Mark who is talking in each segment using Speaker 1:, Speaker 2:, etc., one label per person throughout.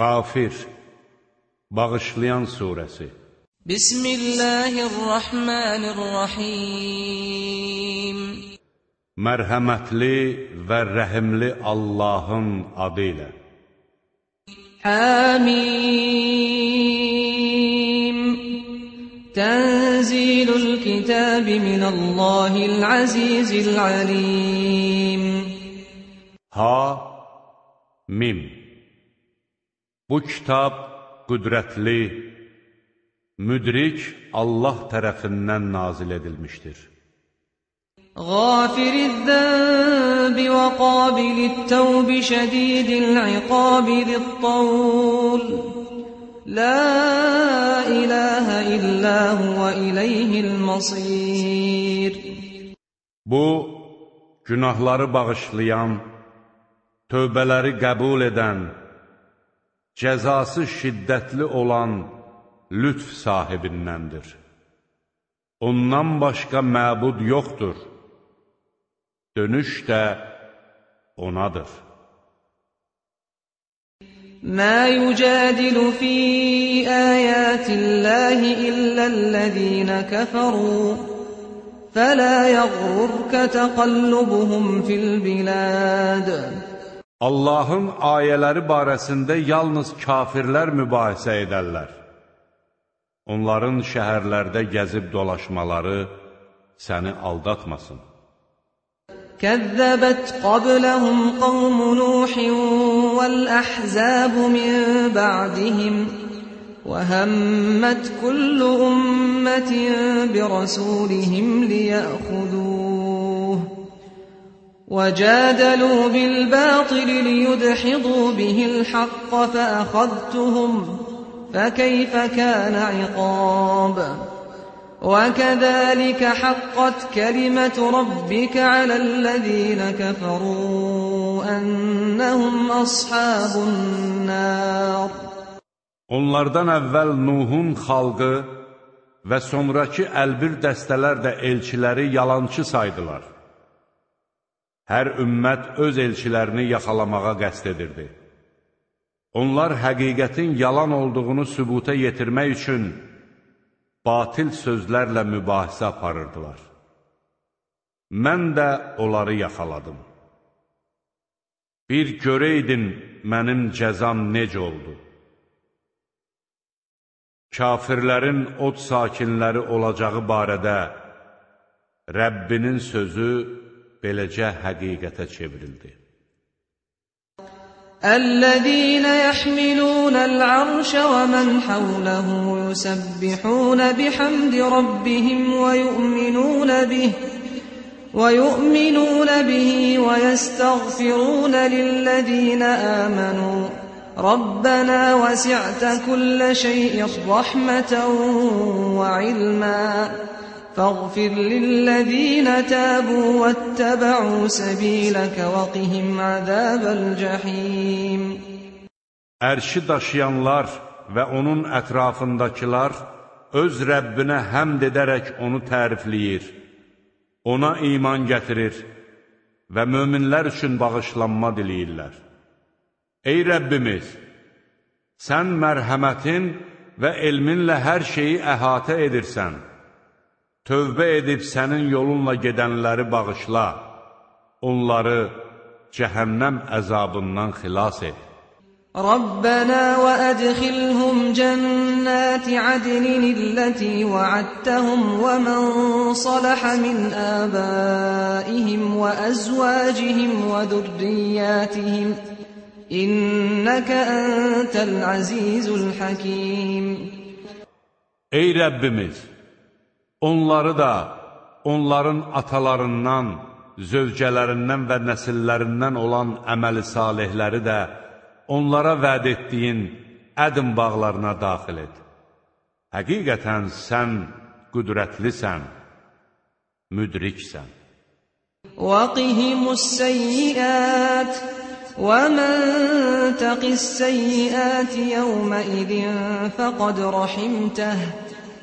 Speaker 1: Qafir, Bağışlayan surəsi.
Speaker 2: Bismillahirrahmanirrahim.
Speaker 1: Mərhəmətli və rəhimli Allahın adı ilə.
Speaker 2: Hamim. Tənzilul kitabi minəllahil azizil alim.
Speaker 1: Mim. Bu kitab qüdrətli, müdrik Allah tərəfindən nazil edilmişdir.
Speaker 2: Gafiriz-zənbi və qabilit-təvbi şədidil-iqabi zit-tavl. La ilahə illə huvə iləyhil-masir.
Speaker 1: Bu, günahları bağışlayan, tövbələri qəbul edən, cəzası şiddətli olan lütf sahibindəndir. Ondan başqa məbud yoxdur. Dönüş də onadır.
Speaker 2: Mə yücadilu fi əyətillahi illəl-ləzīnə kəfəru, fələ yəğrurkə təqallubuhum fil-biləd.
Speaker 1: Allahın ayələri barəsində yalnız kafirlər mübahisə edərlər. Onların şəhərlərdə gəzib dolaşmaları səni aldatmasın.
Speaker 2: Kəzzəbət qabləhum qavmu Nuhin vəl-əhzəbu min ba'dihim və həmmət kullu ümmətin birəsulihim liyəxuduh. وَجَادَلُوا بِالْبَاطِلِ لِيُدْحِضُوا بِهِ الْحَقَّ فَأَخَذْتُهُمْ فَكَيْفَ كَانَ عِقَابِ وَكَذَلِكَ حَقَّتْ كَلِمَةُ رَبِّكَ عَلَى الَّذِينَ كَفَرُوا أَنَّهُمْ أَصْحَابُ النَّارِ.
Speaker 1: Onlardan əvvəl Nuhun xalqı və sonraki əlbir dəstələr də elçiləri yalançı saydılar. Hər ümmət öz elçilərini yaxalamağa qəsd edirdi. Onlar həqiqətin yalan olduğunu sübuta yetirmək üçün batil sözlərlə mübahisə aparırdılar. Mən də onları yaxaladım. Bir görəydin mənim cəzam necə oldu? Kafirlərin od sakinləri olacağı barədə Rəbbinin sözü beləcə həqiqətə çevrildi.
Speaker 2: الذين يحملون العرش ومن حوله يسبحون بحمد ربهم ويؤمنون به ويستغفرون للذين آمنوا ربنا وسعت كل شيء رحمة وعلما فاغفر للذين تابوا واتبعوا سبيلك وقهم عذاب الجحيم.
Speaker 1: Ərşi daşıyanlar və onun ətrafındakılar öz Rəbbinə həmd edərək onu tərifləyir, ona iman gətirir və möminlər üçün bağışlanma diləyirlər. Ey Rəbbimiz, sən mərhəmətin və elminlə hər şeyi əhatə edirsən. Tövbə edib sənin yolunla gedənləri bağışla, onları cəhənnəm əzabından xilas et.
Speaker 2: Rabbana və ədxilhum cənnəti adnin illəti vəəddtəhum və mən saləhə min əbəihim və əzvəcihim və dürriyyətihim İnnəkə əntəl əzizul həkim.
Speaker 1: Ey Rəbbimiz! Onları da, onların atalarından, zövcələrindən və nəsillərindən olan əməli salihləri də onlara vəd etdiyin ədm bağlarına daxil et. Həqiqətən sən qüdrətlisən, müdriksən.
Speaker 2: وَقِهِمُ السَّيِّئَاتِ وَمَنْ تَقِ السَّيِّئَاتِ يَوْمَئِذٍ فَقَدْ رَحِمْتَهُ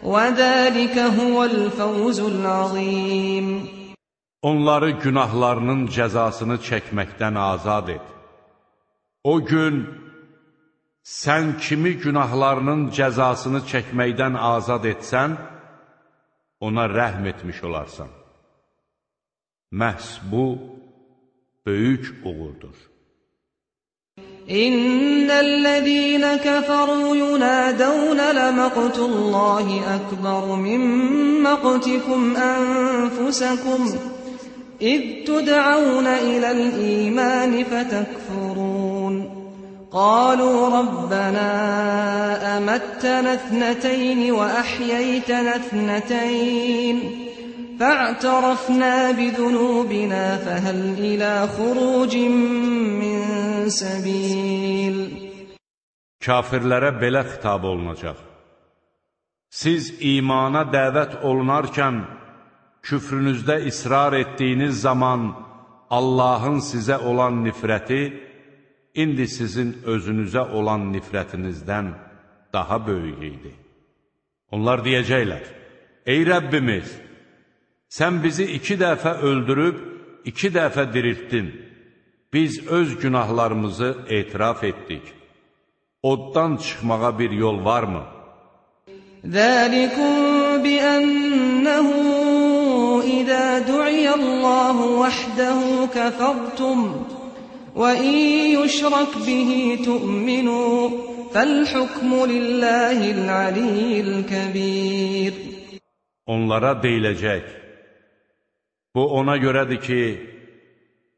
Speaker 2: وَذَلِكَ هُوَ الْفَوْزُ الْعَظِيمُ.
Speaker 1: Onları günahlarının cəzasını çəkməkdən azad et. O gün sən kimi günahlarının cəzasını çəkməkdən azad etsən, ona rəhm etmiş olarsan. Məhz bu, böyük uğurdur.
Speaker 2: İnnellezîne keferû yunâdevne lemaqtullâhi ekber min maqtikum enfusekum إذ تدعون إلى الإيمان فتكفرون قالوا ربنا أمتنا اثنتين وأحييتنا اثنتين فاعترفنا بذنوبنا فهل إلى خروج من سبيل
Speaker 1: Kafirlərə belə xitab olunacaq. Siz imana dəvət olunarkən küfrünüzdə israr etdiyiniz zaman Allahın sizə olan nifrəti indi sizin özünüzə olan nifrətinizdən daha böyük idi. Onlar deyəcəklər, ey Rəbbimiz, sən bizi 2 dəfə öldürüb, 2 dəfə diriltdin. Biz öz günahlarımızı etiraf etdik. Oddan çıxmağa bir yol varmı?
Speaker 2: ذَٰلِكُمْ بِأَنَّهُ إِذَا دُعِيَ اللّٰهُ وَحْدَهُ كَفَرْتُمْ وَإِنْ يُشْرَكْ بِهِ تُؤْمِنُوا فَالْحُكْمُ لِلّٰهِ الْعَلِيِّ الْكَبِيرِ
Speaker 1: Onlara deyiləcək, bu ona görədir ki,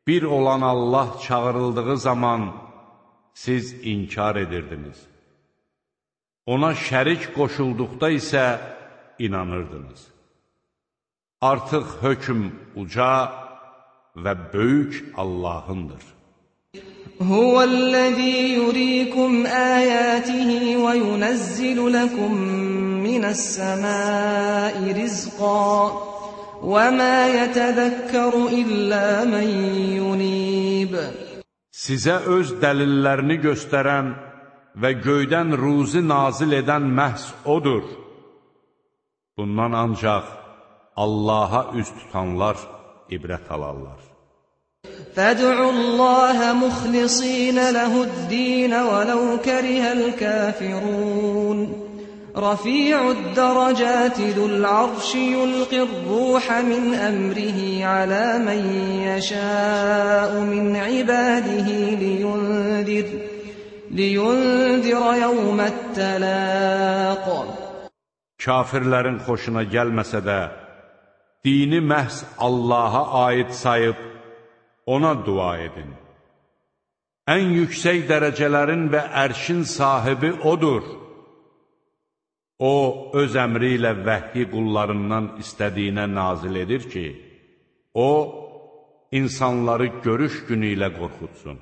Speaker 1: bir olan Allah çağırıldığı zaman siz inkar edirdiniz. Ona şərik qoşulduqda isə inanırdınız. Artıq hökm uca və böyük Allahındır.
Speaker 2: Huvellezî yurîkum âyâtihi ve yunezzilu lekum mine's-semâi rizqan ve mâ yetezekkeru illâ men yunîb.
Speaker 1: Sizə öz dəlillərini göstərən və göydən ruzi nazil edən məhz odur. Bundan ancaq Allaha üz tutanlar ibrət alarlar.
Speaker 2: فَادْعُوا اللّٰهَ مُخْلِصِينَ لَهُ الدِّينَ وَلَوْ كَرِهَ الْكَافِرُونَ رَفِيعُ الدَّرَجَاتِ ذُو الْعَرْشِ يُلْقِي الرُّوحَ مِنْ أَمْرِهِ عَلَى مَنْ يَشَاءُ مِنْ عِبَادِهِ لِيُنْذِرَ يَوْمَ التَّلَاقِ
Speaker 1: Kafirlərin xoşuna gəlməsə də, dini məhz Allaha aid sayıb, ona dua edin. Ən yüksək dərəcələrin və ərşin sahibi odur. O, öz əmri ilə vəhyi qullarından istədiyinə nazil edir ki, o, insanları görüş günü ilə qorxutsun.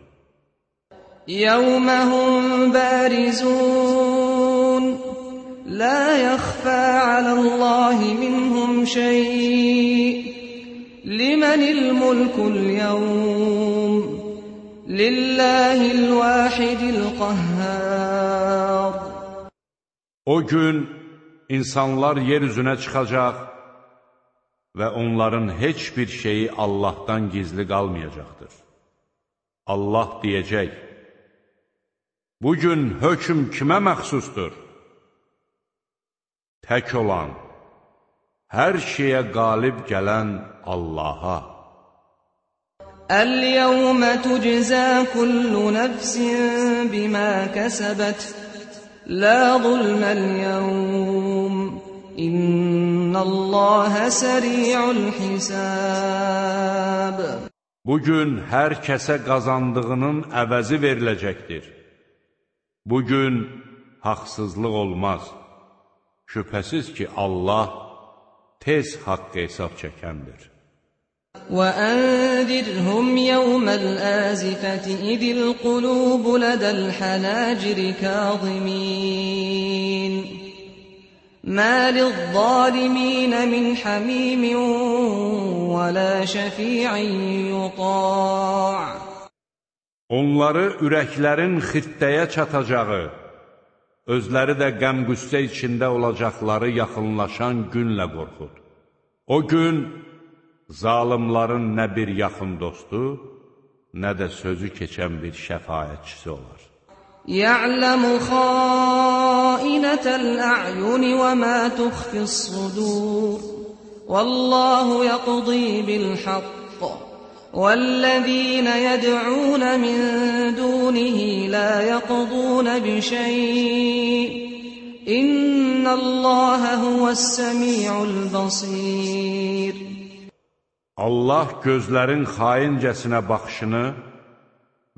Speaker 2: يَوْمَ هُمْ بَارِزُونَ لَا يَخْفَى عَلَى اللّٰهِ مِنْهُمْ شَيْءٌ لِمَنِ الْمُلْكُ الْيَوْمِ لِلَّهِ الْوَاحِدِ الْقَهَّارِ
Speaker 1: O gün insanlar yer üzünə çıxacaq və onların heç bir şeyi Allahdan gizli qalmayacaqdır. Allah deyəcək, bugün hökm kimə məxsusdur? Tək olan, hər şeyə qalib gələn Allaha.
Speaker 2: الْيَوْمَ تُجْزَى كُلُّ نَفْسٍ بِمَا كَسَبَتْ لَا ظُلْمَ الْيَوْمِ إِنَّ اللّٰهَ سَرِيعُ الْحِسَابِ
Speaker 1: Bugün hər kəsə qazandığının əvəzi veriləcəkdir. Bugün haqsızlıq olmaz. Şübhəsiz ki, Allah tez haqq hesab çəkəndir.
Speaker 2: وَأَنذِرْهُمْ يَوْمَ الْآزِفَةِ إِذِ الْقُلُوبُ لَدَى الْحَنَاجِرِ كَاظِمِينَ مَا لِلظَّالِمِينَ مِنْ حَمِيمٍ وَلَا شَفِيعٍ يُطَاعٍ
Speaker 1: Onları ürəklərin xittəyə çatacağı, özləri də qəm-qüssə içində olacaqları yaxınlaşan günlə qorxud. O gün zalimların nə bir yaxın dostu, nə də sözü keçən bir şəfaətçisi olar.
Speaker 2: يعلم خائنة الأعين وما تخفي الصدور والله يقضي بالحق والذين يدعون من دونه لا يقضون بشيء إن الله هو السميع البصير.
Speaker 1: Allah gözlərin xaincəsinə baxışını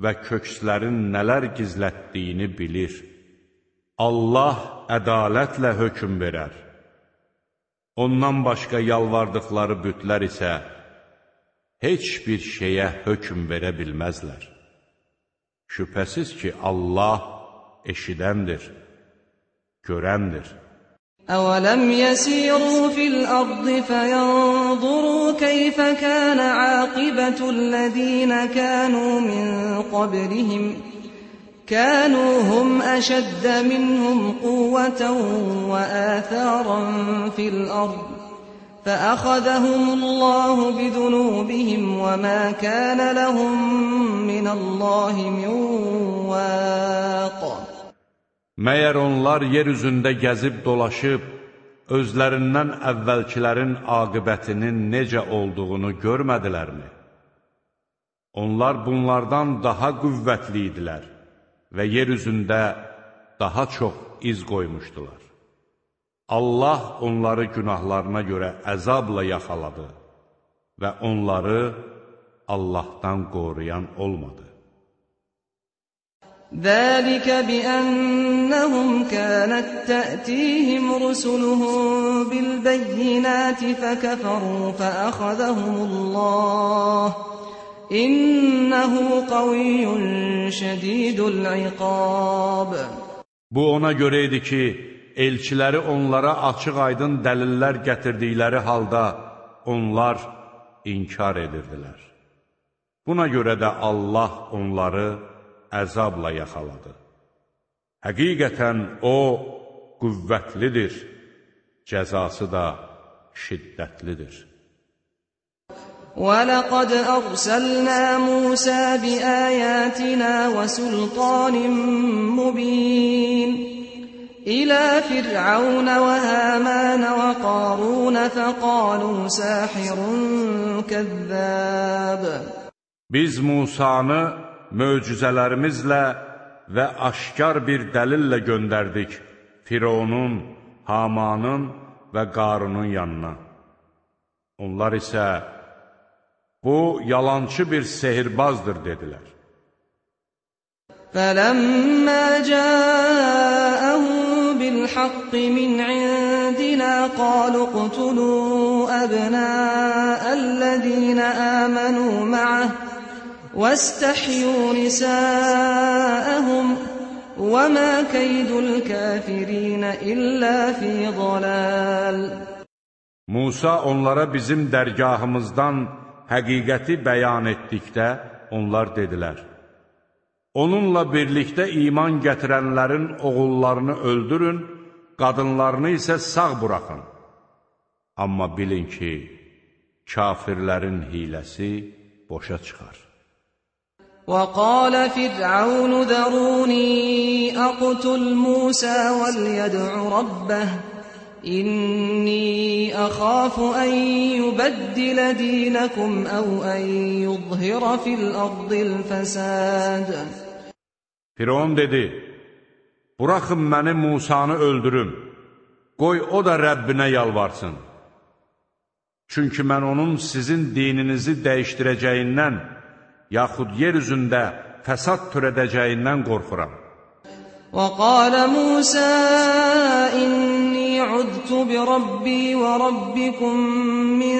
Speaker 1: və kökslərin nələr gizlətdiyini bilir. Allah ədalətlə hökm verər. Ondan başqa yalvardıqları bütlər isə heç bir şeyə hökm verə bilməzlər. Şübhəsiz ki, Allah eşidəndir, görəndir.
Speaker 2: أَوَلَمْ يَسِيرُوا فِي الْأَرْضِ فَيَنْظُرُوا كَيْفَ كَانَ عَاقِبَةُ الَّذِينَ كَانُوا مِنْ قَبْلِهِمْ كَانُوا هُمْ أَشَدَّ مِنْهُمْ قُوَّةً وَآثَارًا فِي الْأَرْضِ فَأَخَذَهُمُ اللَّهُ بِذُنُوبِهِمْ وَمَا كَانَ لَهُمْ مِنَ اللَّهِ مِنْ وَاقٍ.
Speaker 1: Məyər onlar yer üzündə gəzib dolaşıb, özlərindən əvvəlkilərin aqibətinin necə olduğunu görmədilərmi? Onlar bunlardan daha qüvvətli idilər və yer üzündə daha çox iz qoymuşdular. Allah onları günahlarına görə əzabla yaxaladı və onları Allahdan qoruyan olmadı.
Speaker 2: ذَلِكَ بِأَنَّهُمْ كَانَتْ تَأْتِيهِمْ رُسُلُهُم بِالْبَيِّنَاتِ فَكَفَرُوا فَأَخَذَهُمُ اللَّهُ إِنَّهُ قَوِيٌّ شَدِيدُ الْعِقَابِ.
Speaker 1: Bu ona görə idi ki, elçiləri onlara açıq-aydın dəlillər gətirdikləri halda onlar inkar edirdilər. Buna görə də Allah onları əzabla yaxaladı. Həqiqətən O qüvvətlidir, cəzası da şiddətlidir.
Speaker 2: وَلَقَدْ أَرْسَلْنَا مُوسَى بِآيَاتِنَا وَسُلْطَانٍ مُّبِينٍ إِلَى فِرْعَوْنَ وَهَامَانَ وَقَارُونَ فَقَالُوا سَاحِرٌ كَذَّابٌ.
Speaker 1: Biz Musanı möcüzələrimizlə və aşkar bir dəlillə göndərdik Fironun, Hamanın və Qarunun yanına. Onlar isə bu yalançı bir sehirbazdır dedilər.
Speaker 2: فَلَمَّا جَاءَهُم بِالْحَقِّ مِنْ عِندِنَا قَالُوا اقْتُلُوا أَبْنَاءَ الَّذِينَ آمَنُوا مَعَهُ وَاسْتَحْيُوا نِسَاءَهُمْ وَمَا كَيْدُ الْكَافِرِينَ إِلَّا فِي ضَلَالٍ.
Speaker 1: Musa onlara bizim dərgahımızdan həqiqəti bəyan etdikdə onlar dedilər: Onunla birlikdə iman gətirənlərin oğullarını öldürün, qadınlarını isə sağ buraxın. Amma bilin ki, kafirlərin hiləsi boşa çıxar.
Speaker 2: وَقَالَ فِرْعَوْنُ ذَرُونِي أَقْتُلْ مُوسَى وَلْيَدْعُ رَبَّهُ إِنِّي أَخَافُ أَن يُبَدِّلَ دِينَكُمْ أَوْ أَن يُظْهِرَ فِي الْأَرْضِ الْفَسَادَ.
Speaker 1: Firon dedi: Buraxın məni Musanı öldürüm, qoy o da Rəbbinə yalvarsın. Çünki mən onun sizin dininizi dəyişdirəcəyindən, yaxud yer üzündə fəsad törədəcəyindən qorxuram.
Speaker 2: وَقَالَ مُوسَى إِنِّي عُذْتُ بِرَبِّي وَرَبِّكُمْ مِنْ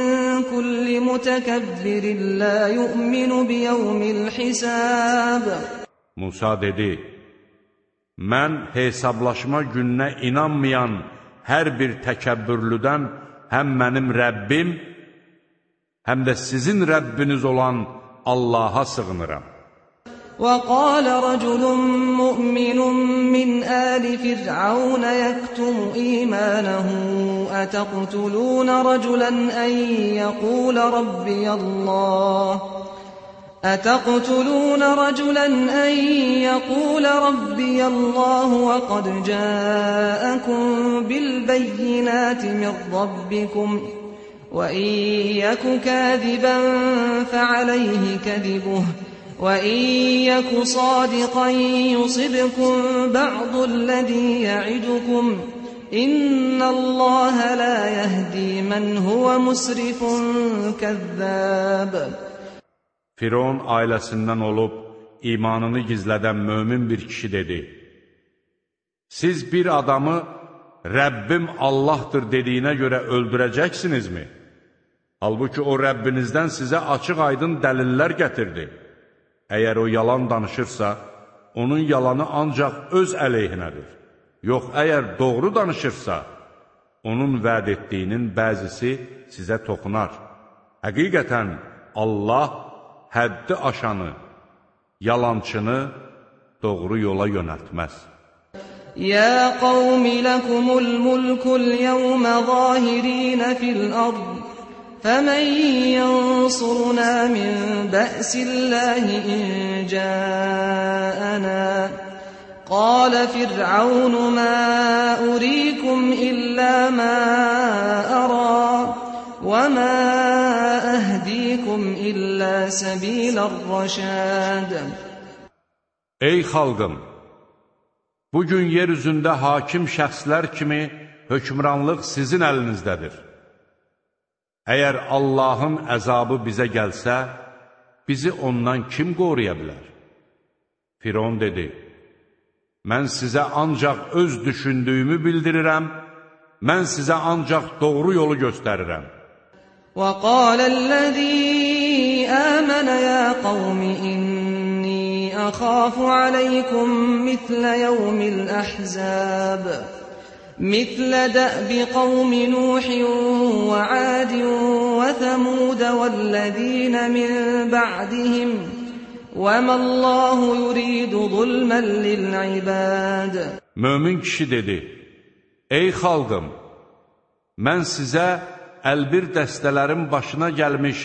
Speaker 2: كُلِّ مُتَكَبِّرٍ لَا يُؤْمِنُ بِيَوْمِ الْحِسَابِ.
Speaker 1: Musa dedi: Mən hesablaşma gününə inanmayan hər bir təkəbbürlüdən həm mənim Rəbbim, həm də sizin Rəbbiniz olan Allaha sığınıram.
Speaker 2: وَقَالَ رَجُلٌ مُؤْمِنٌ مِّنْ آلِ فِرْعَوْنَ يَكْتُمُ إِيمَانَهُ أَتَقْتُلُونَ رَجُلًا أَن أتقتلون رجلا أن يقول ربي الله وقد جاءكم بالبينات من ربكم وإن يك كاذبا فعليه كذبه وإن يك صادقا يصبكم بعض الذي يعدكم إن الله لا يهدي من هو مسرف كذاب.
Speaker 1: Firon ailəsindən olub imanını gizlədən mömin bir kişi dedi: Siz bir adamı Rəbbim Allahdır dediyinə görə öldürəcəksinizmi? Halbuki o Rəbbinizdən sizə açıq-aydın dəlillər gətirdi. Əgər o yalan danışırsa, onun yalanı ancaq öz əleyhinədir. Yox, əgər doğru danışırsa, onun vəd etdiyinin bəzisi sizə toxunar. Həqiqətən Allah həddi aşanı, yalançını doğru yola yönəltməz.
Speaker 2: يا قوم لكم الملك اليوم ظاهرين في الأرض فمن ينصرنا من بأس الله إن جاءنا قال فرعون ما أريكم إلا ما أرى وما أهديكم إلا سبيل الرشاد.
Speaker 1: Ey xalqım! Bugün yeryüzündə hakim şəxslər kimi hökmranlıq sizin əlinizdədir. Əgər Allahın əzabı bizə gəlsə, bizi ondan kim qoruya bilər? Firon dedi: Mən sizə ancaq öz düşündüyümü bildirirəm, mən sizə ancaq doğru yolu göstərirəm.
Speaker 2: وَقَالَ الَّذِي آمَنَ يَا قَوْمِ إِنِّي أَخَافُ عَلَيْكُمْ مِثْلَ يَوْمِ الْأَحْزَابِ مثل دأب قوم نوح وعاد وثمود والذين من بعدهم وما الله يريد ظلما للعباد.
Speaker 1: Mömin kişi dedi: Ey xalqım, mən sizə əlbir dəstələrin başına gəlmiş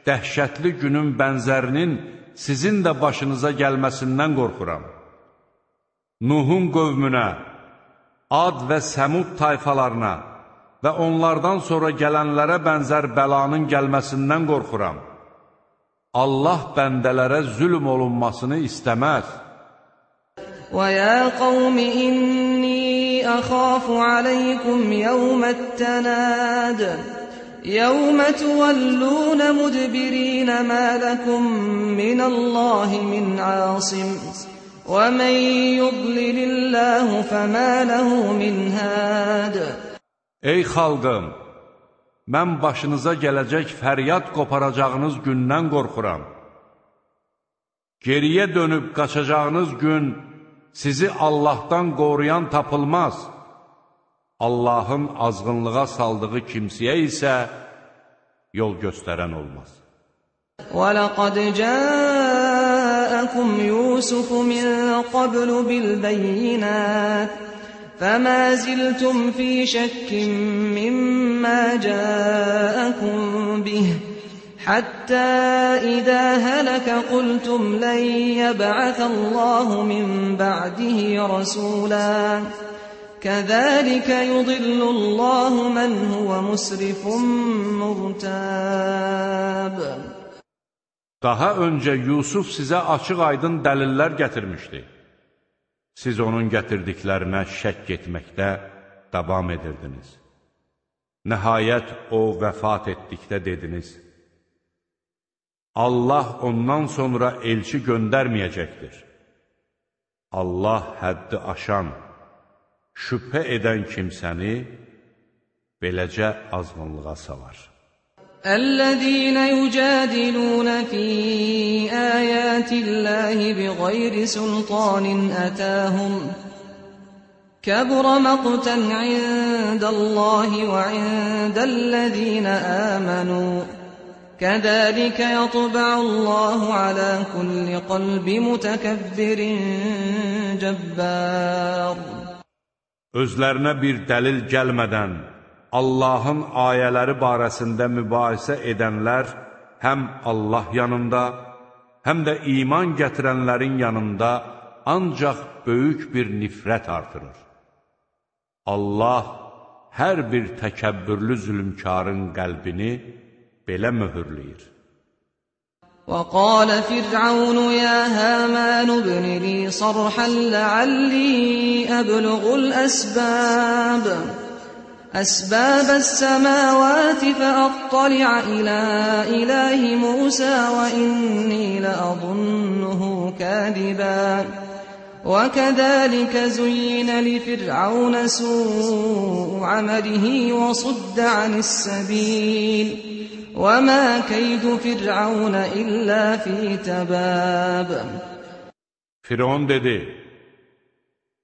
Speaker 1: dəhşətli günün bənzərinin sizin də başınıza gəlməsindən qorxuram. Nuhun qövmünə, Ad və Səmud tayfalarına və onlardan sonra gələnlərə bənzər bəlanın gəlməsindən qorxuram. Allah bəndələrə zülm olunmasını istəməz.
Speaker 2: وَيَا قَوْمِ إِنِّي أَخَافُ عَلَيْكُمْ يَوْمَ التَّنَادِ يَوْمَ تُوَلُّونَ مُدْبِرِينَ مَا لَكُمْ مِنَ اللَّهِ مِنْ عَاصِمٍ وَمَنْ يُضْلِلِ اللَّهُ فَمَا لَهُ مِنْ هَادٍ. Ey
Speaker 1: xalqım, mən başınıza gələcək fəryad qoparacağınız gündən qorxuram. Geriyə dönüb qaçacağınız gün sizi Allahdan qoruyan tapılmaz. Allahın azğınlığa saldığı kimsəyə isə yol göstərən olmaz.
Speaker 2: وَلَقَدْ جَاءَكُمْ يُوسُفُ مِنْ قَبْلُ بِالْبَيِّنَاتِ فَمَا زِلْتُمْ فِي شَكٍّ مِّمَّا جَاءَكُمْ بِهِ حَتَّى إِذَا هَلَكَ قُلْتُمْ لَنْ يَبْعَثَ اللَّهُ مِنْ بَعْدِهِ رَسُولًا كَذَلِكَ يُضِلُّ اللَّهُ مَنْ هُوَ مُسْرِفٌ مُرْتَابٌ.
Speaker 1: Daha öncə Yusuf sizə açıq-aydın dəlillər gətirmişdi. Siz onun gətirdiklərinə şəkk etməkdə davam edirdiniz. Nəhayət o vəfat etdikdə dediniz: Allah ondan sonra elçi göndərməyəcəkdir. Allah həddi aşan, şübhə edən kimsəni beləcə azğınlığa salar.
Speaker 2: الذين يجادلون في آيات الله بغير سلطان أتاهم كبر مقتا عند الله وعند الذين آمنوا كذلك يطبع الله على كل قلب متكبر جبار.
Speaker 1: Özlərinə bir dəlil gəlmədən Allahın ayələri barəsində mübahisə edənlər həm Allah yanında, həm də iman gətirənlərin yanında ancaq böyük bir nifrət artırır. Allah hər bir təkəbbürlü zülmkarın qəlbini belə möhürləyir.
Speaker 2: وقال فرعون يا هامان ابن لي صرحا لعلي أبلغ أسباب السماوات فأطلع إلى إله موسى وإني لأظنه كاذبا وكذلك زين لفرعون سوء عمله وصد عن السبيل وَمَا كَيْدُ فِرْعَوْنَ إِلَّا فِي تَبَابٍ.
Speaker 1: Firon dedi,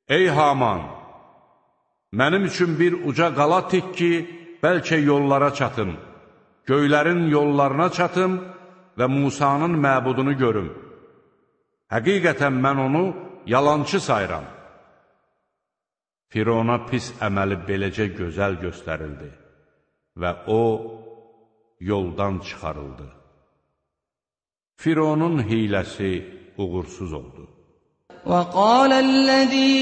Speaker 1: ey Haman, mənim üçün bir uca qala tik ki, bəlkə yollara çatım, göylərin yollarına çatım və Musanın məbudunu görüm. Həqiqətən mən onu yalançı sayıram. Firona pis əməli beləcə gözəl göstərildi və o, yoldan çıxarıldı. Fironun hiləsi uğursuz oldu.
Speaker 2: وَقَالَ الَّذِي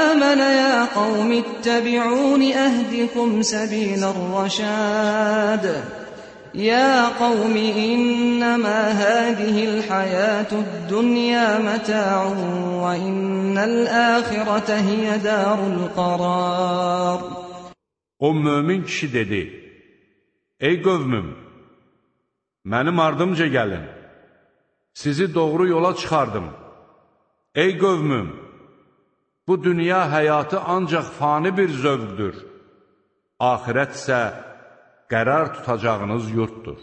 Speaker 2: آمَنَ يَا قَوْمِ اتَّبِعُونِ أَهْدِكُمْ سَبِيلَ الرَّشَادِ يَا قَوْمِ إِنَّمَا هَذِهِ الْحَيَاةُ الدُّنْيَا مَتَاعٌ وَإِنَّ الْآخِرَةَ هِيَ دَارُ الْقَرَارِ.
Speaker 1: O mömin kişi dedi, ey qövmüm, mənim ardımca gəlin, sizi doğru yola çıxardım. Ey qövmüm, bu dünya həyatı ancaq fani bir zövqdür, axirət isə qərar tutacağınız yurtdur.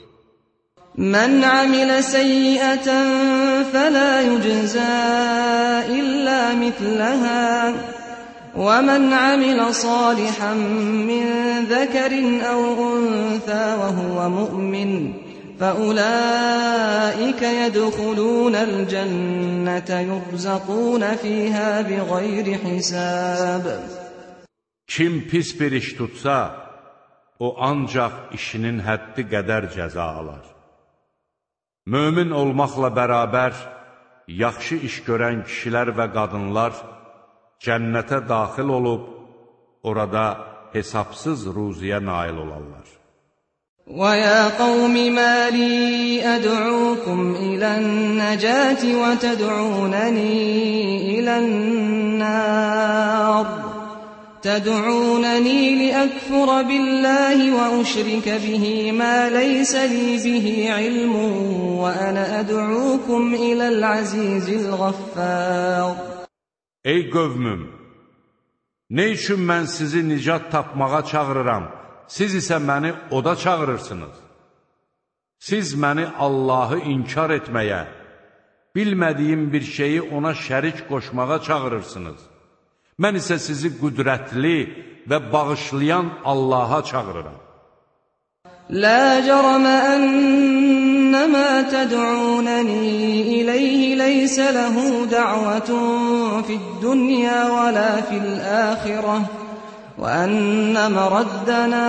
Speaker 2: Mən amilə səyyiətən fələ yüczə illə mitləhə وَمَنْ عَمِلَ صَالِحًا مِّن ذَكَرٍ أَوْ أُنثَىٰ وَهُوَ مُؤْمِنٌ فَأُولَٰئِكَ يَدْخُلُونَ الْجَنَّةَ يُرْزَقُونَ فِيهَا بِغَيْرِ حِسَابٍ.
Speaker 1: Kim pis bir iş tutsa, o ancaq işinin həddi qədər cəza alar. Mömin olmaqla bərabər, yaxşı iş görən kişilər və qadınlar cənnətə daxil olub, orada hesabsız ruziyə nail olarlar.
Speaker 2: وَيَا قَوْمِ مَا لِي أَدْعُوكُمْ إِلَى النَّجَاةِ وَتَدْعُونَنِي إِلَى النَّارِ تَدْعُونَنِي لِأَكْفُرَ بِاللَّهِ وَأُشْرِكَ بِهِ مَا لَيْسَ لِي بِهِ عِلْمٌ وَأَنَا أَدْعُوكُمْ إِلَى الْعَزِيزِ الْغَفَّارِ.
Speaker 1: Ey qövmüm, nə üçün mən sizi nicat tapmağa çağırıram, siz isə məni oda çağırırsınız? Siz məni Allahı inkar etməyə, bilmədiyim bir şeyi ona şərik qoşmağa çağırırsınız. Mən isə sizi qüdrətli və bağışlayan Allaha çağırıram.
Speaker 2: La cərəmə ənnəmə təd'unəni iləyhi leysə ləhu də'vətun fid-dünya və lə fil-əxirəh və ənnə məraddənə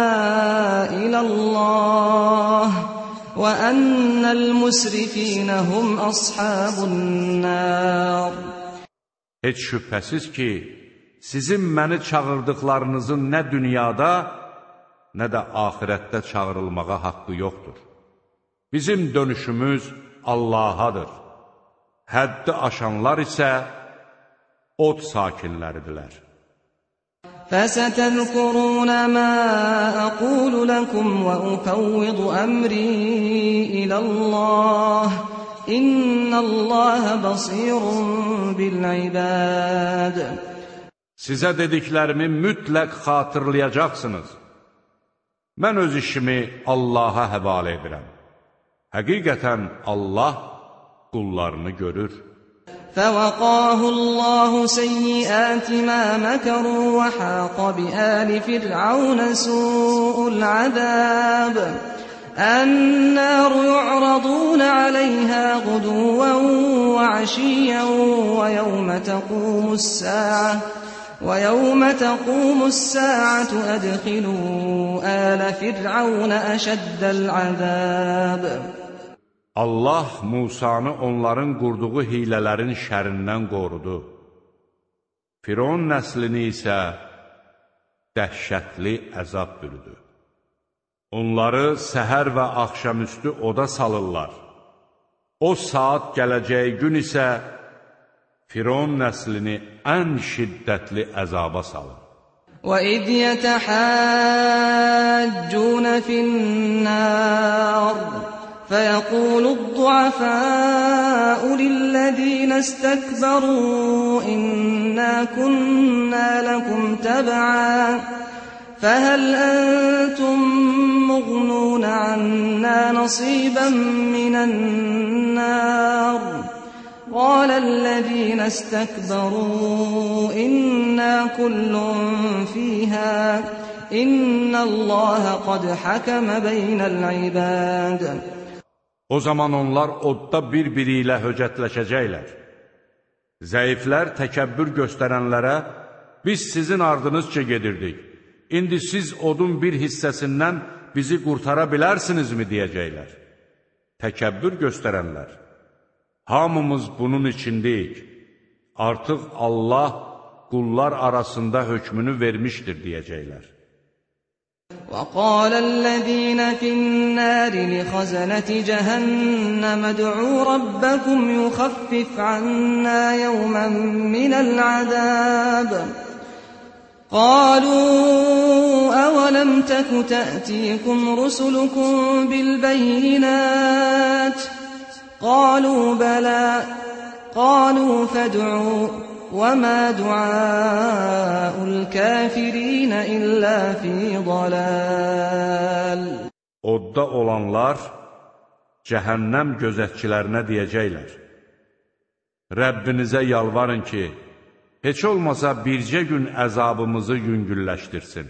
Speaker 2: iləllāh və ənnəl musrifinə hum ashabun-nər.
Speaker 1: Heç şübhəsiz ki, sizin məni çağırdıqlarınızın nə dünyada, nə də axirətdə çağırılmağa haqqı yoxdur. Bizim dönüşümüz Allahadır. Həddi aşanlar isə od sakinləridirlər.
Speaker 2: فَسَتَذْكُرُونَ مَا أَقُولُ لَكُمْ وَأُفَوِّضُ أَمْرِي إِلَى اللَّهِ إِنَّ اللَّهَ بَصِيرٌ بِالْعِبَادِ.
Speaker 1: Sizə dediklərimi mütləq xatırlayacaqsınız. Mən öz işimi Allaha həvalə edirəm. Həqiqətən Allah qullarını görür.
Speaker 2: فَوَقَاهُ اللَّهُ سَيِّئَاتِ مَا مَكَرُوا وَحَاقَ بِآلِ فِرْعَوْنَ سُوءُ الْعَذَابِ النَّارُ يُعْرَضُونَ عَلَيْهَا غُدُوًّا وَعَشِيًّا وَيَوْمَ تَقُومُ السَّاعَةُ أَدْخِلُوا آلَ فِرْعَوْنَ أَشَدَّ الْعَذَابِ.
Speaker 1: Allah Musanı onların qurduğu hilələrin şərindən qorudu. Firon nəslini isə dəhşətli əzab bürüdü. Onları səhər və axşamüstü oda salırlar. O saat gələcəyi gün isə Firon nəslini ən şiddətli əzaba salır.
Speaker 2: وَإِذْ يَتَحَاجُّونَ فِي النَّارِ فَيَقُولُ الضُّعَفَاءُ لِلَّذِينَ اسْتَكْبَرُوا إِنَّا كُنَّا لَكُمْ تَبَعًا فَهَلْ أَنْتُمْ مُغْنُونَ عَنَّا نَصِيبًا مِنَ النَّارِ قال الذين استكبروا إنا كل فيها إن الله قد حكم بين العباد.
Speaker 1: O zaman onlar odda bir-biri ilə höcətləşəcəklər. Zəiflər təkəbbür göstərənlərə, biz sizin ardınızca gedirdik. İndi siz odun bir hissəsindən bizi qurtara bilərsinizmi deyəcəklər. Təkəbbür göstərənlər, hamımız bunun içindəyik. Artıq Allah qullar arasında hökmünü vermişdir deyəcəklər.
Speaker 2: وَقَالَ الَّذِينَ فِي النَّارِ لِخَزَنَةِ جَهَنَّمَ ادْعُوا رَبَّكُمْ يُخَفِّفْ عَنَّا يَوْمًا مِنَ الْعَذَابِ قَالُوا أَوَلَمْ تَكُ تَأْتِيكُمْ رُسُلُكُم بِالْبَيِّنَاتِ قالوا بلى قالوا فادعوا وما دعاء الكافرين إلا في ضلال.
Speaker 1: Odda olanlar cəhənnəm gözətçilərinə deyəcəklər: Rəbbinizə yalvarın ki, heç olmasa bircə gün əzabımızı yüngülləşdirsin.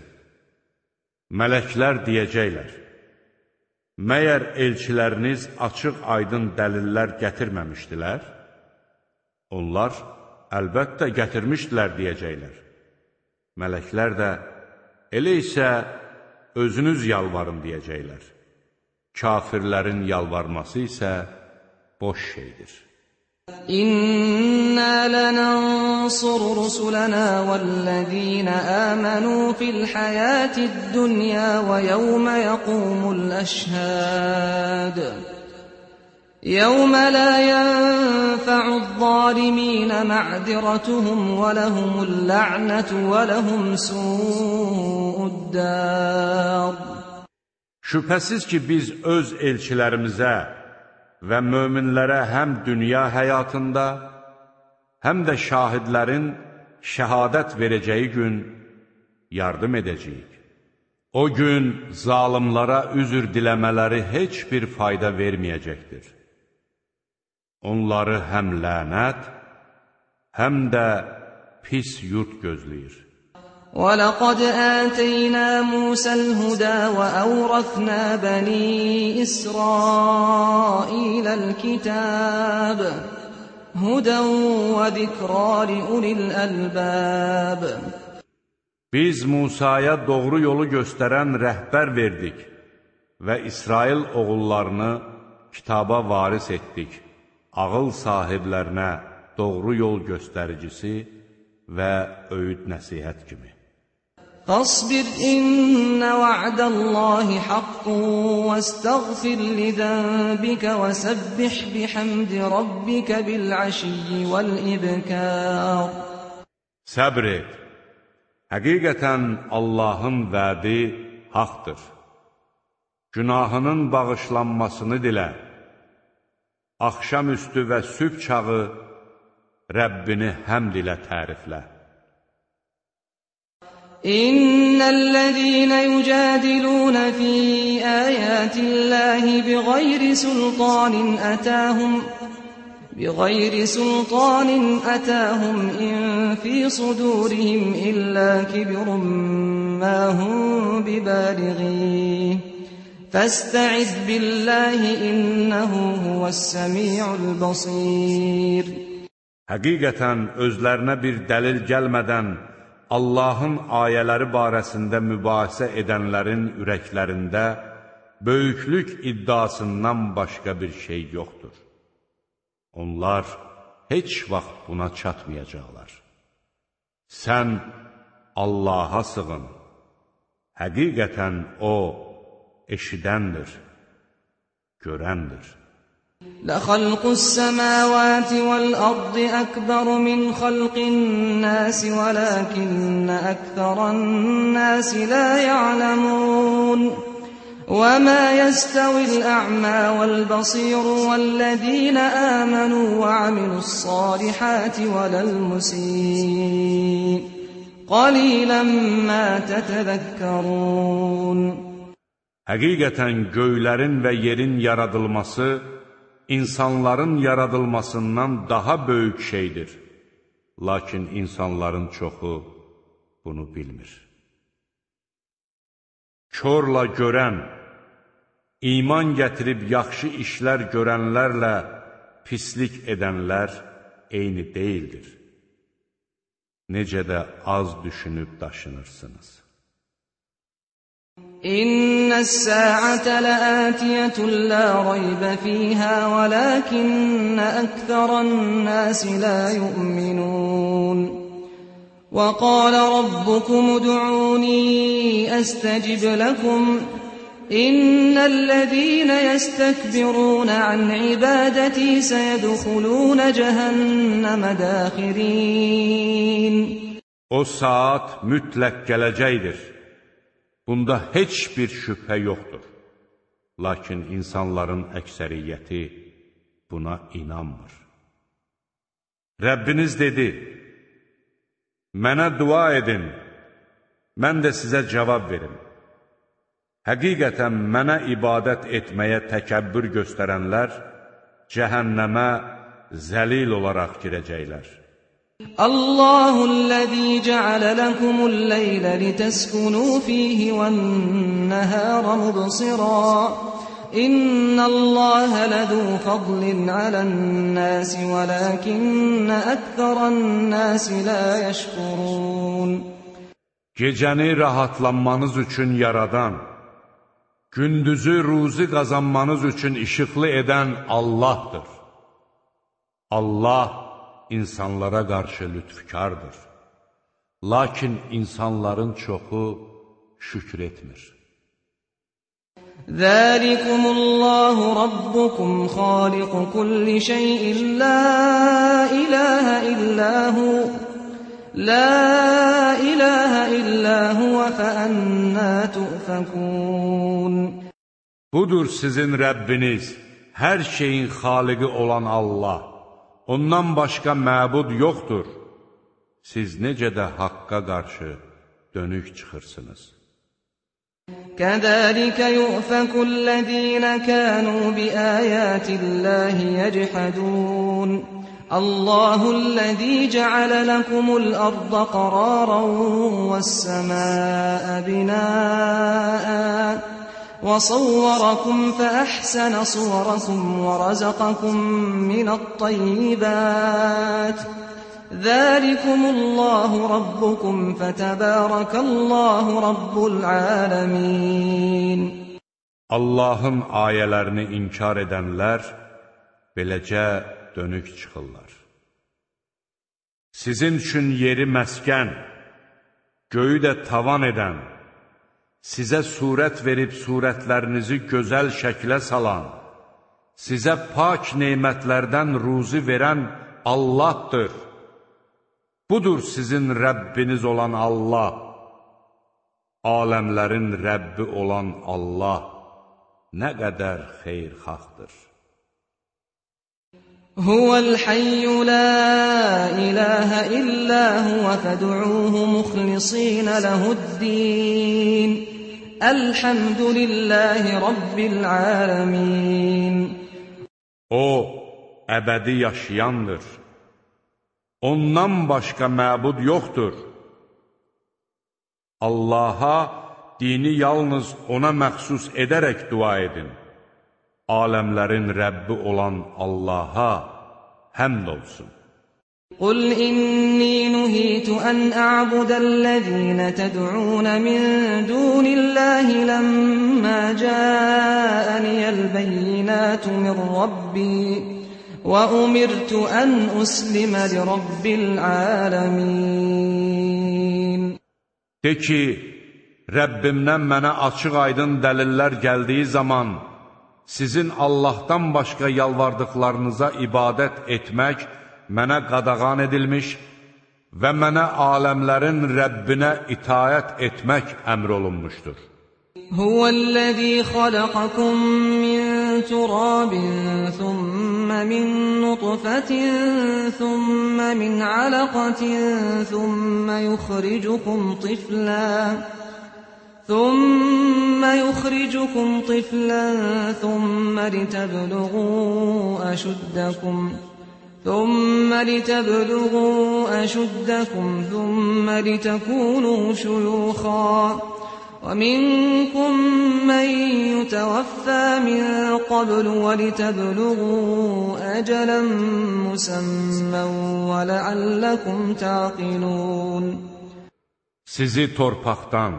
Speaker 1: Mələklər deyəcəklər: Məyər elçiləriniz açıq-aydın dəlillər gətirməmişdilər? Onlar, əlbəttə gətirmişdilər deyəcəklər. Mələklər də, elə isə özünüz yalvarın deyəcəklər. Kafirlərin yalvarması isə boş şeydir.
Speaker 2: İnna lanansur rusulana vellezina amanu fil hayatid dunya ve yevme yaqumul ashhad. Yevme la yenfa'uz zalimin ma'ziratuhum ve lehumul la'netu ve lehum su'ud dar.
Speaker 1: Şübhəsiz ki biz öz elçilərimizə və möminlərə həm dünya həyatında, həm də şahidlərin şəhadət verəcəyi gün yardım edəcəyik. O gün zalimlara üzr diləmələri heç bir fayda verməyəcəkdir. Onları həm lənət, həm də pis yurt gözləyir.
Speaker 2: وَلَقَدْ آتَيْنَا مُوسَى الْهُدَى وَأَوْرَثْنَا بَنِي إِسْرَائِيلَ الْكِتَابَ هُدًى وَذِكْرَى لِأُولِي الْأَلْبَابِ.
Speaker 1: Biz Musaya doğru yolu göstərən rəhbər verdik və İsrail oğullarını kitaba varis etdik, ağıl sahiblərinə doğru yol göstəricisi və öyüd nəsihət kimi.
Speaker 2: فاصبر إن وعد الله حق واستغفر لذنبك وسبح بحمد ربك بالعشي والإبكار.
Speaker 1: Səbr et. Həqiqətən Allahın vədi haqdır. Günahının bağışlanmasını dilə. Axşamüstü və sübh çağı Rəbbini həmd ilə təriflə.
Speaker 2: İnnellezîne yücadilûne fî âyâtillâhi bighayri sultânin etâhum in fî sudûrihim illâ kibrun mâ hum bibâlighîh. Fastaiz billahi innehu huves-semî'ul basîr.
Speaker 1: Həqiqətən özlərinə bir dəlil gəlmədən Allahın ayələri barəsində mübahisə edənlərin ürəklərində böyüklük iddiasından başqa bir şey yoxdur. Onlar heç vaxt buna çatmayacaqlar. Sən Allaha sığın. Həqiqətən O eşidəndir, görəndir.
Speaker 2: لَخَلْقُ السَّمَاوَاتِ وَالْأَرْضِ أَكْبَرُ مِنْ خَلْقِ النَّاسِ وَلَكِنَّ أَكْثَرَ النَّاسِ لَا يَعْلَمُونَ وَمَا يَسْتَوِي الْأَعْمَى وَالْبَصِيرُ وَالَّذِينَ آمَنُوا وَعَمِلُوا الصَّالِحَاتِ وَلَا الْمُسِيءُ قَلِيلًا مَا تَتَذَكَّرُونَ
Speaker 1: Həqiqətən göylərin və yerin yaradılması insanların yaradılmasından daha böyük şeydir. Lakin insanların çoxu bunu bilmir. Körlə görən, iman gətirib yaxşı işlər görənlərlə pislik edənlər eyni deyildir. Necə də az düşünüb daşınırsınız.
Speaker 2: İnnes-sa'ate la'atiyetun la raybe fiha velakinne ekseran-nasi la yu'minun. Ve qala rabbukum ud'uni astajib lakum. İnnellezîne yestekbirûne an ibadeti seyedhulûne cehenneme dâhirîn.
Speaker 1: O saat mütləq gələcəkdir. Bunda heç bir şübhə yoxdur. Lakin insanların əksəriyyəti buna inanmır. Rəbbiniz dedi, mənə dua edin, mən də sizə cavab verim. Həqiqətən mənə ibadət etməyə təkəbbür göstərənlər cəhənnəmə zəlil olaraq girəcəklər.
Speaker 2: Allahu'l-lezî ceale lekumul-leyle liteskunu fîhî ven-nehâre mubsirâ. İnnallâhe ledû fadlin alen-nâsi velâkinne ekseran-nâsi lâ yeşkurûn.
Speaker 1: Gecəni rahatlanmanız üçün yaradan, gündüzü ruzi qazanmanız üçün işıqlı edən Allahdır. Allah insanlara qarşı lütfkardır. Lakin insanların çoxu şükür etmir.
Speaker 2: Zəlikumullahu rabbukum xaliqu kulli şeyin la ilahe illahu La ilahe illa huve fe annâ tu'fekûn.
Speaker 1: Budur sizin Rəbbiniz, hər şeyin xaliqi olan Allah. Ondan başqa məbud yoxdur. Siz necə də haqqa qarşı dönük çıxırsınız.
Speaker 2: Kəzəlikə yu'fekullezîne kânû biâyâtillâhi yechadûn. Allahu'l-lezî ceale lekumul-arda qarâran ve's-semâe binâ'an ve savvarakum fe ahsana suvarakum ve razaqakum minat-tayyibât. Zâlikumullahu rabbukum fetebârakallahu rabbul âlemîn.
Speaker 1: Allahın ayələrini inkar edənlər beləcə dönük çıxırlar. Sizin üçün yeri məskən, göyü də tavan edən, sizə surət verib surətlərinizi gözəl şəklə salan, sizə pak neymətlərdən ruzi verən Allahdır. Budur sizin Rəbbiniz olan Allah, aləmlərin Rəbbi olan Allah nə qədər xeyirxahdır.
Speaker 2: Huvəl-hayyu la ilahe illa huve fed'uuhu mukhlisîne lehu'd-dîn. Elhamdülillahi rabbil âlemîn.
Speaker 1: O, əbədi yaşayandır. Ondan başqa məbud yoxdur. Allaha dini yalnız ona məxsus edərək dua edin. Aləmlərin Rəbbi olan Allaha həmd olsun.
Speaker 2: قل إني نهيت أن أعبد الذين تدعون من دون الله لما جاءني البينات من ربي وأمرت أن أسلم لرب العالمين.
Speaker 1: De ki, Rəbbimdən mənə açıq aydın dəlillər gəldiyi zaman sizin Allahdan başqa yalvardıqlarınıza ibadət etmək mənə qadağan edilmiş və mənə aləmlərin Rəbbinə itayət etmək əmr olunmuşdur.
Speaker 2: Huvəl-ləzî xalaqakum min turabin, thumma min nutfatin, thumma min alaqatin, thumma yukhrijukum tiflan, ثم يخرجكم طفلا ثم لتبلغوا أشدكم ثم لتكونوا شيوخا ومنكم من يتوفى من قبل ولتبلغوا أجلا مسمى ولعلكم تعقلون.
Speaker 1: Sizi torpaqdan,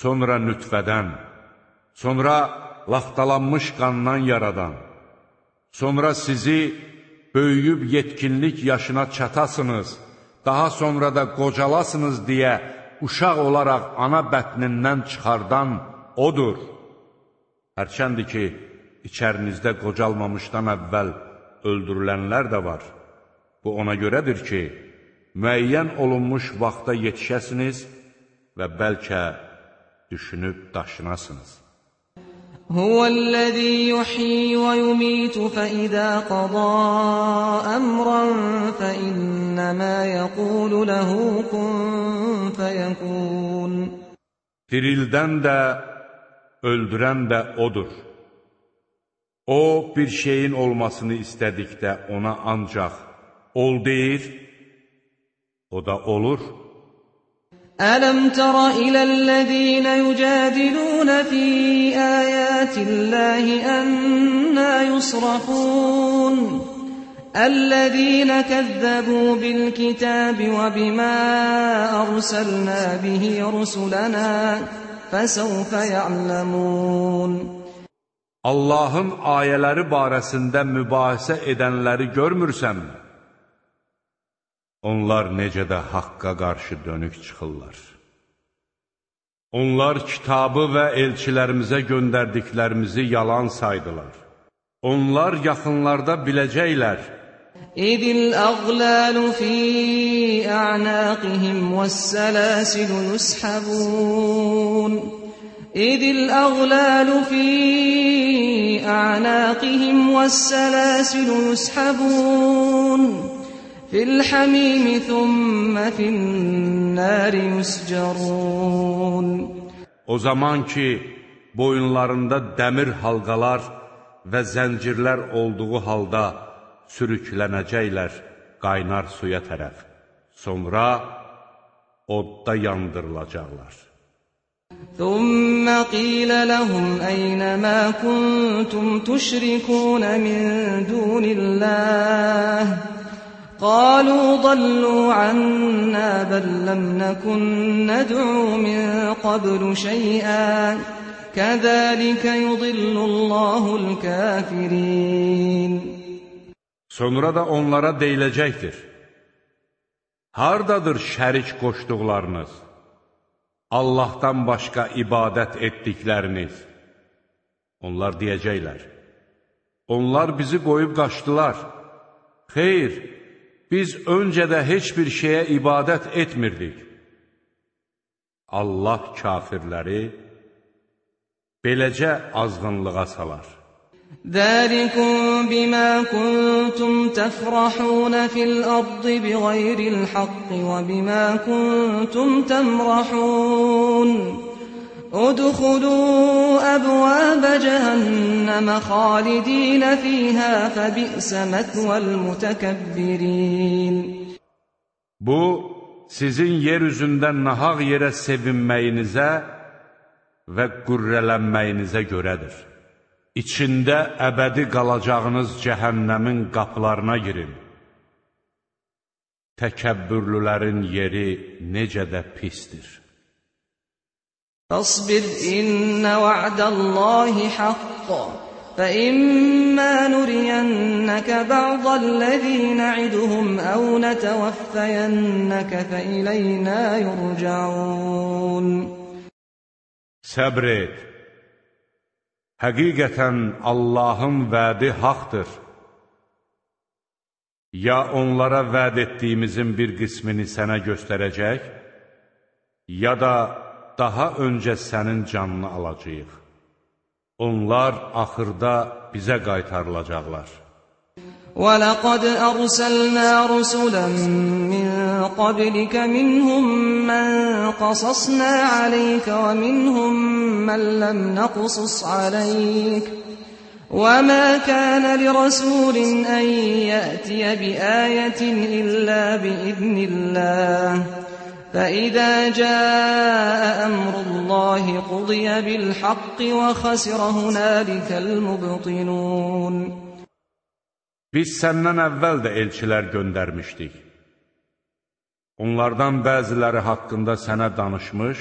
Speaker 1: sonra nütfədən, sonra laxtalanmış qandan yaradan, sonra sizi böyüyüb yetkinlik yaşına çatasınız, daha sonra da qocalasınız deyə uşaq olaraq ana bətnindən çıxardan odur. Hərçəndir ki, içərinizdə qocalmamışdan əvvəl öldürülənlər də var. Bu ona görədir ki, müəyyən olunmuş vaxta yetişəsiniz və bəlkə düşünüb daşınasınız.
Speaker 2: Huvəl-ləzî yuhyi və yumitu fəizə qadâ əmran fəinnəmə yəqulu ləhu kun fəyəkun.
Speaker 1: Dirildən də, öldürən də odur. O, bir şeyin olmasını istədikdə ona ancaq ol deyir, o da olur.
Speaker 2: ألم تر إلى الذين يجادلون في آيات الله أنى يصرفون الذين كذبوا بالكتاب وبما أرسلنا به رسلنا فسوف يعلمون.
Speaker 1: Allahın ayələri barəsində mübahisə edənləri görmürsənmi? Onlar necə də haqqa qarşı dönük çıxırlar. Onlar kitabı və elçilərimizə göndərdiklərimizi yalan saydılar. Onlar yaxınlarda biləcəklər.
Speaker 2: İdil əğlalu fi a'naqihim vəs-səlasilu yushabun. İdil əğlalu fi a'naqihim vəs-səlasilu yushabun. Fil-hamim thumma fin-nar yuscarun.
Speaker 1: O zaman ki, boyunlarında dəmir halqalar və zəncirlər olduğu halda sürüklənəcəklər qaynar suya tərəf. Sonra odda yandırılacaqlar.
Speaker 2: Thumma qila lahum ayna ma kuntum tushrikun min dunillah. قالوا ضلوا عنا بل لم نكن ندعو من قبل شيئا كذلك يضل الله الكافرين.
Speaker 1: Sonra da onlara deyiləcəkdir: hardadır şərik qoşduqlarınız, Allahdan başqa ibadət etdikləriniz? Onlar deyəcəklər: onlar bizi qoyub qaçdılar. Xeyr, biz öncə də heç bir şeyə ibadət etmirdik. Allah kafirləri beləcə azğınlığa salar.
Speaker 2: ذَلِكُمْ بِمَا كُنْتُمْ تَفْرَحُونَ فِي الْأَرْضِ بِغَيْرِ الْحَقِّ وَبِمَا كُنْتُمْ تَمْرَحُونَ ادخلوا أبواب جهنم خالدين فيها فبئس مثوى المتكبرين.
Speaker 1: Bu, sizin yeryüzündə nahaq yerə sevinməyinizə və qürrələnməyinizə görədir. İçində əbədi qalacağınız cəhənnəmin qapılarına girin. təkəbbürlülərin yeri necə də pisdir.
Speaker 2: فاصبر إن وعد الله حق فإما نرينك بعض الذي نعدهم أو نتوفينك فإلينا يرجعون.
Speaker 1: Səbr et. Həqiqətən Allahın vədi haqdır. Ya onlara vəd etdiyimizin bir qismini sənə göstərəcək, ya da daha öncə sənin canını alacağıq. Onlar axırda bizə qaytarılacaqlar.
Speaker 2: وَلَقَدْ أَرْسَلْنَا رُسُلًا مِّن قَبْلِكَ مِنْهُم مَّن قَصَصْنَا عَلَيْكَ وَمِنْهُم مَّن لَّمْ نَقْصُصْ عَلَيْكَ وَمَا كَانَ لِرَسُولٍ أَن يَأْتِيَ بِآيَةٍ إِلَّا بِإِذْنِ اللَّهِ فَإِذَا جَاءَ أَمْرُ اللَّهِ قُضِيَ بِالْحَقِّ وَخَسِرَ هُنَالِكَ الْمُبْطِلُونَ.
Speaker 1: Biz səndən əvvəl də elçilər göndərmişdik. Onlardan bəziləri haqqında sənə danışmış,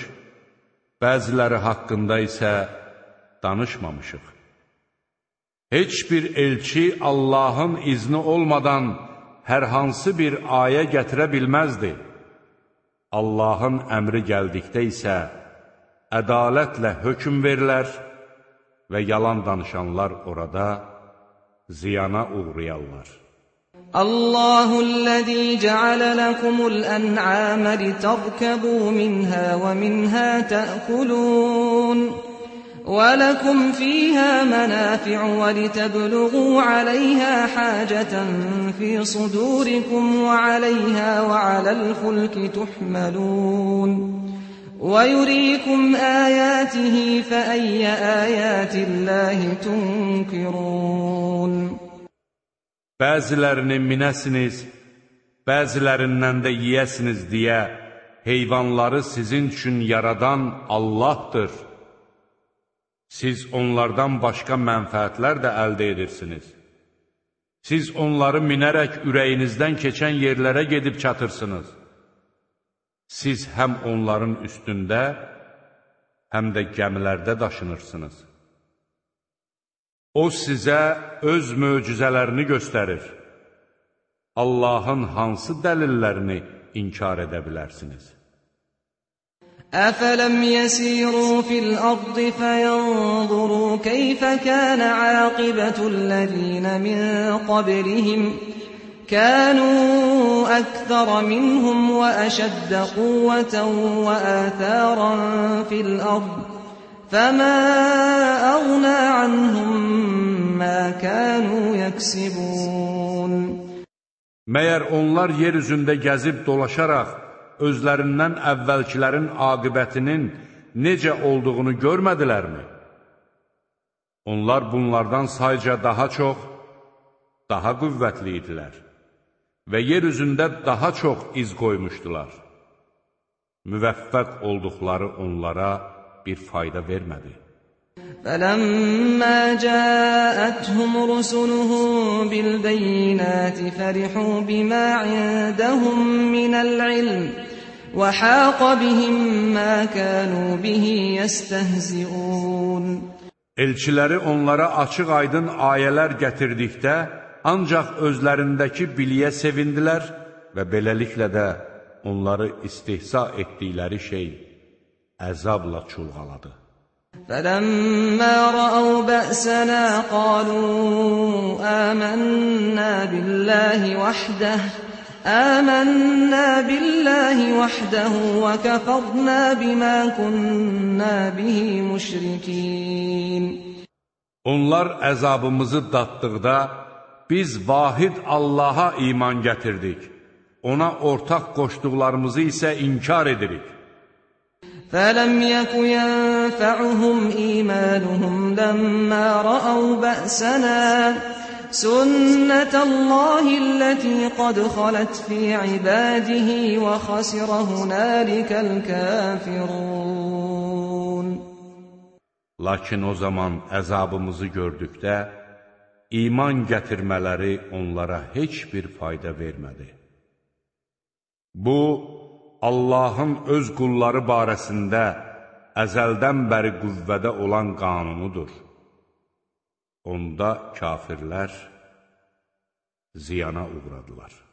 Speaker 1: bəziləri haqqında isə danışmamışıq. Heç bir elçi Allahın izni olmadan hər hansı bir ayə gətirə bilməzdi. Allahın əmri gəldikdə isə ədalətlə hökm verilər və yalan danışanlar orada ziyana uğrayarlar.
Speaker 2: Allahü'l-lezî ceale lekumul en'âme literkebû minhâ ve minhâ te'kulûn ve lekum fîhâ menâfi'u ve liteblugû aleyhâ hâceten fî sudûrikum ve aleyhâ ve alel fulki tuhmelûn ve yurîkum âyâtihi fe eyye âyâtillâhi tunkirûn.
Speaker 1: Bəzilərini minəsiniz, bəzilərindən də yiyəsiniz deyə heyvanları sizin üçün yaradan Allahdır. Siz onlardan başqa mənfəətlər də əldə edirsiniz. Siz onları minərək ürəyinizdən keçən yerlərə gedib çatırsınız. Siz həm onların üstündə, həm də gəmilərdə daşınırsınız. O sizə öz möcüzələrini göstərir. Allahın hansı dəlillərini inkar edə bilərsiniz?
Speaker 2: أَفَلَمْ يَسِيرُوا فِي الْأَرْضِ فَيَنْظُرُوا كَيْفَ كَانَ عَاقِبَةُ الَّذِينَ مِنْ قَبْلِهِمْ كَانُوا أَكْثَرَ مِنْهُمْ وَأَشَدَّ قُوَّةً وَآثَارًا فِي الْأَرْضِ فَمَا أَغْنَى عَنْهُمْ مَا كَانُوا يَكْسِبُونَ.
Speaker 1: Məyər onlar yer üzündə gəzib dolaşaraq özlərindən əvvəlkilərin aqibətinin necə olduğunu görmədilərmi? Onlar bunlardan sayca daha çox, daha qüvvətli idilər və yer üzündə daha çox iz qoymuşdular. Müvəffəq olduqları onlara bir fayda vermədi.
Speaker 2: فَلَمَّا جَاءَتْهُمْ رُسُلُهُم بِالْبَيِّنَاتِ فَرِحُوا بِمَا عِندَهُم مِّنَ الْعِلْمِ وَحَاقَ بِهِم مَّا كَانُوا بِهِ يَسْتَهْزِئُونَ.
Speaker 1: Elçiləri onlara açıq-aydın ayələr gətirdikdə ancaq özlərindəki biliyə sevindilər və beləliklə də onları istihza etdikləri şey əzabla çulğaladı.
Speaker 2: فَلَمَّا رَأَوْا بَأْسَنَا قَالُوا آمَنَّا بِاللَّهِ وَحْدَهُ وَكَفَرْنَا بِمَا كُنَّا بِهِ مُشْرِكِينَ.
Speaker 1: Onlar əzabımızı daddıqda biz vahid Allaha iman gətirdik. Ona ortaq qoşduqlarımızı isə inkar edirik.
Speaker 2: فَلَمْ يَكُ يَنفَعُهُمْ إِيمَانُهُمْ لَمَّا رَأَوْا بَأْسَنَا سُنَّةَ اللَّهِ الَّتِي قَدْ خَلَتْ فِي عِبَادِهِ وَخَسِرَ هُنَالِكَ الْكَافِرُونَ.
Speaker 1: Lakin o zaman əzabımızı gördükdə iman gətirmələri onlara heç bir fayda vermədi. Bu, Allahın öz qulları barəsində əzəldən bəri qüvvədə olan qanunudur. Onda kafirlər ziyana uğradılar.